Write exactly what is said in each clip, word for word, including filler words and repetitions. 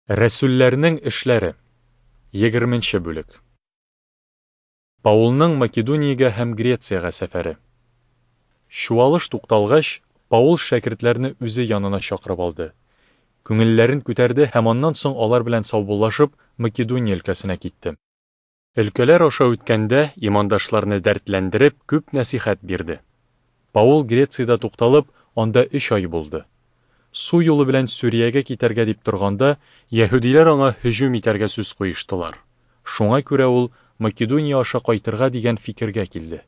Рәсүлләрнең эшләре. Егерменче бүлек. Паулның Македониягә һәм Грециягә сәфәре. Чуалыш тукталгач, Паул шәкертләрне үзе янына чакырып алды. Күңелләрен күтәрде һәм аннан соң алар белән саубуллашып, Македония өлкәсенә китте. Өлкәләр аша үткәндә, имандашларны дәртләндереп, күп нәсихәт бирде. Паул Грециядә тукталып, анда өч ай булды. Су юлы белән Сүриягә китәргә дип торганда, яһүдиләр аңа һөҗүм итәргә сүз куештылар. Шуңа күрә ул Македония аша кайтырга дигән фикергә килде.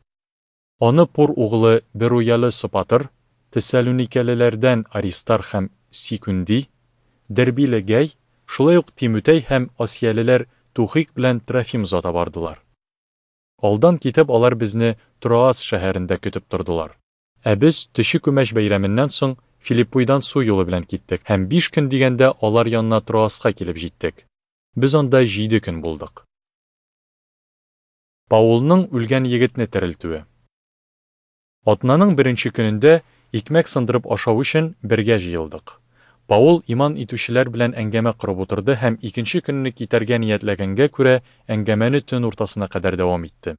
Аны Пур углы Беруялы Сопатр, Тессалоникәлеләрдән Аристарх һәм Сикүнди, Дербиле Гәй, шулай ук Тимутәй һәм Асиялеләр Тухик белән Трофим озата бардылар. Алдан китеп, алар безне Троас шәһәрендә көтеп тордылар. Ә без Төче күмәч бәйрәменнән соң Филиппойдан су юлы белән киттек һәм биш көн дигәндә алар янына Троаска килеп җиттек. Без анда җиде көн булдык. Паулның үлгән егетне терелтүе. Атнаның беренче көнендә икмәк сындырып ашау өчен бергә җыелдык. Паул иман итүчеләр белән әңгәмә корып утырды һәм икенче көнне китәргә ниятләгәнгә күрә әңгәмәне төн уртасына кадәр дәвам итте.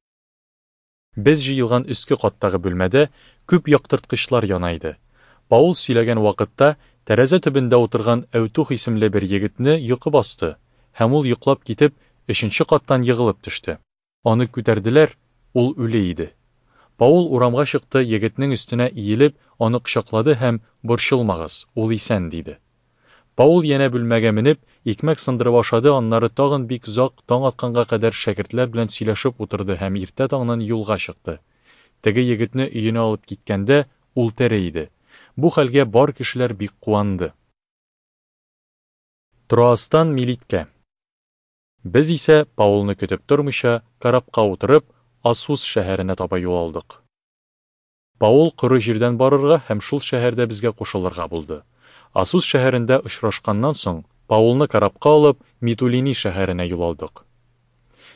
Без җыелган өске каттагы бүлмәдә күп яктырткычлар яна иде. Паул сөйләгән вакытта тәрәзә төбендә утырган Әүтух исемле бер егетне йокы басты һәм ул йоклап китеп, өченче каттан егылып төште. Аны күтәрделәр, ул үле иде. Паул урамга чыкты, егетнең өстенә иелеп, аны кочаклады һәм «Борчылмагыз, ул исән» диде. Паул янә бүлмәгә менеп, икмәк сындырып ашады, аннары тагын бик озак таң атканга кадәр шәкертләр белән сөйләшеп утырды һәм иртә таңнан юлга чыкты. Теге егетне өенә алып киткәндә, ул тере иде. Бу хәлгә бар кешеләр бик куанды. Троастан Милиткә. Без исә Паулны көтеп тормыйча, корабка утырып, Асус шәһәренә таба юл алдык. Паул коры җирдән барырга һәм шул шәһәрдә безгә кушылырга булды. Асус шәһәрендә очрашканнан соң, Паулны корабка алып, Митулини шәһәренә юл алдык.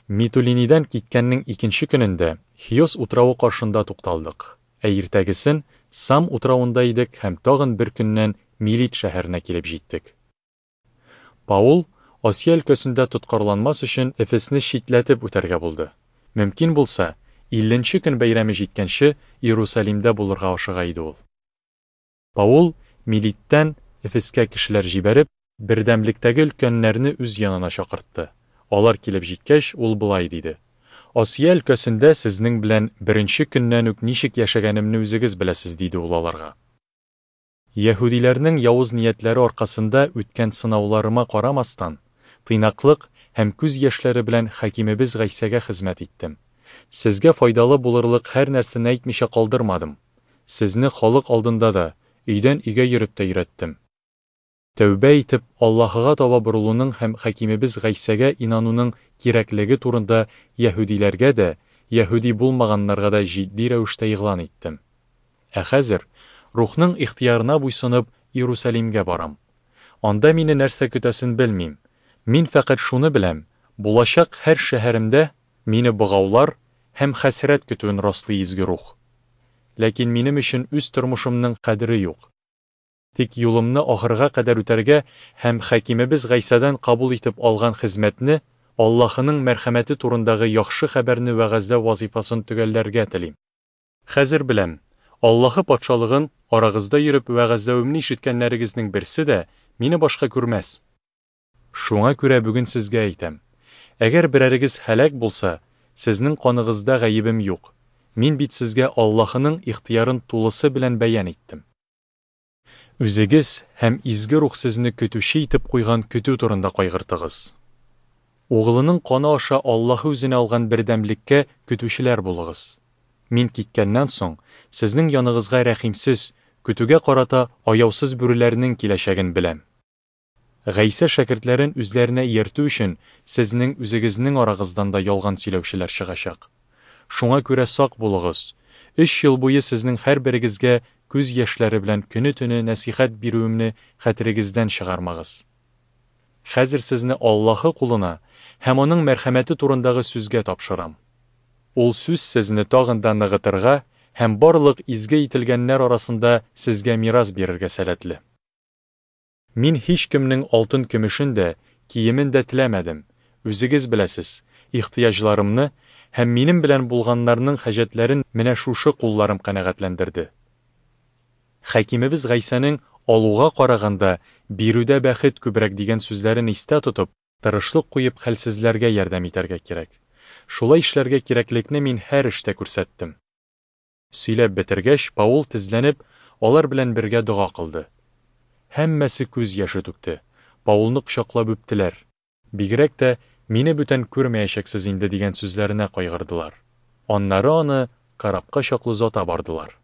Митулинидән киткәннең икенче көнендә Хиос утравы каршында тукталдык. Ә иртәгесен Сам утравында идек һәм тагын бер көннән Милит шәһәренә килеп җиттек. Паул Асия өлкәсендә тоткарланмас өчен Эфесне читләтеп үтәргә булды. Мөмкин булса, илленче көн бәйрәме җиткәнче Иерусалимдә булырга ашыга иде ул. Паул Милиттән Эфескә кешеләр җибәреп, бердәмлектәге өлкәннәрне үз янына чакыртты. Алар килеп җиткәч, ул болай диде: Асия өлкәсендә сезнең белән беренче көннән үк ничек яшәгәнемне үзегез беләсез, диде ул аларга. Яһүдиләрнең явыз ниятләре аркасында үткән сынауларыма карамастан, тыйнаклык һәм күз яшьләре белән хакимебез Гайсәгә хезмәт иттем. Сезгә файдалы булырлык һәр нәрсәне әйтмичә калдырмадым. Сезне халык алдында да, өйдән өйгә йөреп тә өйрәттем. Тәүбә итеп, Аллаһыга таба борылуның һәм хакимебез Гайсәгә инануның кирәклеге турында яһүдиләргә дә, яһүди булмаганнарга да җитди рәвештә игълан иттем. Ә хәзер Рухның ихтыярына буйсынып, Иерусалимгә барам. Анда мине нәрсә көтәсен белмим. Мин фәкать шуны беләм: булачак һәр шәһәремдә мине богаулар һәм хәсрәт көтүен раслый изге рух. Ләкин минем өчен үз тормышымның кадере юк. Тик юлымны ахырга кадәр үтәргә һәм хакимебез Гайсәдән кабул итеп алган хезмәтне, Аллаһының мәрхәмәте турындагы яхшы хәбәрне вәгазьләү вазифасын төгәлләргә телим. Хәзер беләм, Аллаһы патшалыгын арагызда йөреп вәгазьләвемне ишеткәннәрегезнең берсе дә мине башка күрмәс. Шуңа күрә бүген сезгә әйтәм: әгәр берәрегез һәлак булса, сезнең каныгызда гаебем юк. Мин бит сезгә Аллаһының ихтыярын тулысы белән бәян иттем. Үзегез һәм изге рух сезне көтүче итеп куйган көтү турында кайгыртыгыз. Углының каны аша Аллаһы үзенә алган бердәмлеккә көтүчеләр булыгыз. Мин киткәннән соң, сезнең яныгызга рәхимсез, көтүгә карата аяусыз бүреләрнең киләчәген беләм. Гайсә шәкертләрен үзләренә ияртү өчен сезнең үзегезнең арагыздан да ялган сөйләүчеләр чыгачак. Шуңа күрә сак булыгыз. Өч ел буе сезнең һәрберегезгә күз яшьләре белән көне-төне нәсихәт бирүемне хәтерегездән чыгармагыз. Хәзер сезне Аллаһы кулына һәм аның мәрхәмәте турындагы сүзгә тапшырам. Ул сүз сезне тагын да ныгытырга һәм барлык изге ителгәннәр арасында сезгә мирас бирергә сәләтле. Мин һич кемнең алтын көмешен дә, киемен дә теләмәдем, үзегез беләсез, ихтыяҗларымны һәм минем белән булганнарның хаҗәтләрен менә шушы кулларым канәгатьләндерде. Хакимебез Гайсәнең алуга караганда бирүдә бәхет күбрәк дигән сүзләрен истә тотып, тырышлык куеп хәлсезләргә ярдәм итәргә кирәк. Шулай эшләргә кирәклекне мин һәр эштә күрсәттем. Сөйләп бетергәч, Паул тезләнеп, алар белән бергә дога кылды. Һәммәсе күз яше түкте. Паулны кочаклап үптеләр. Бигрәк тә мине бүтән күрмәячәксез инде дигән сүзләренә кайгырдылар. Аннары аны корабка чаклы озата бардылар.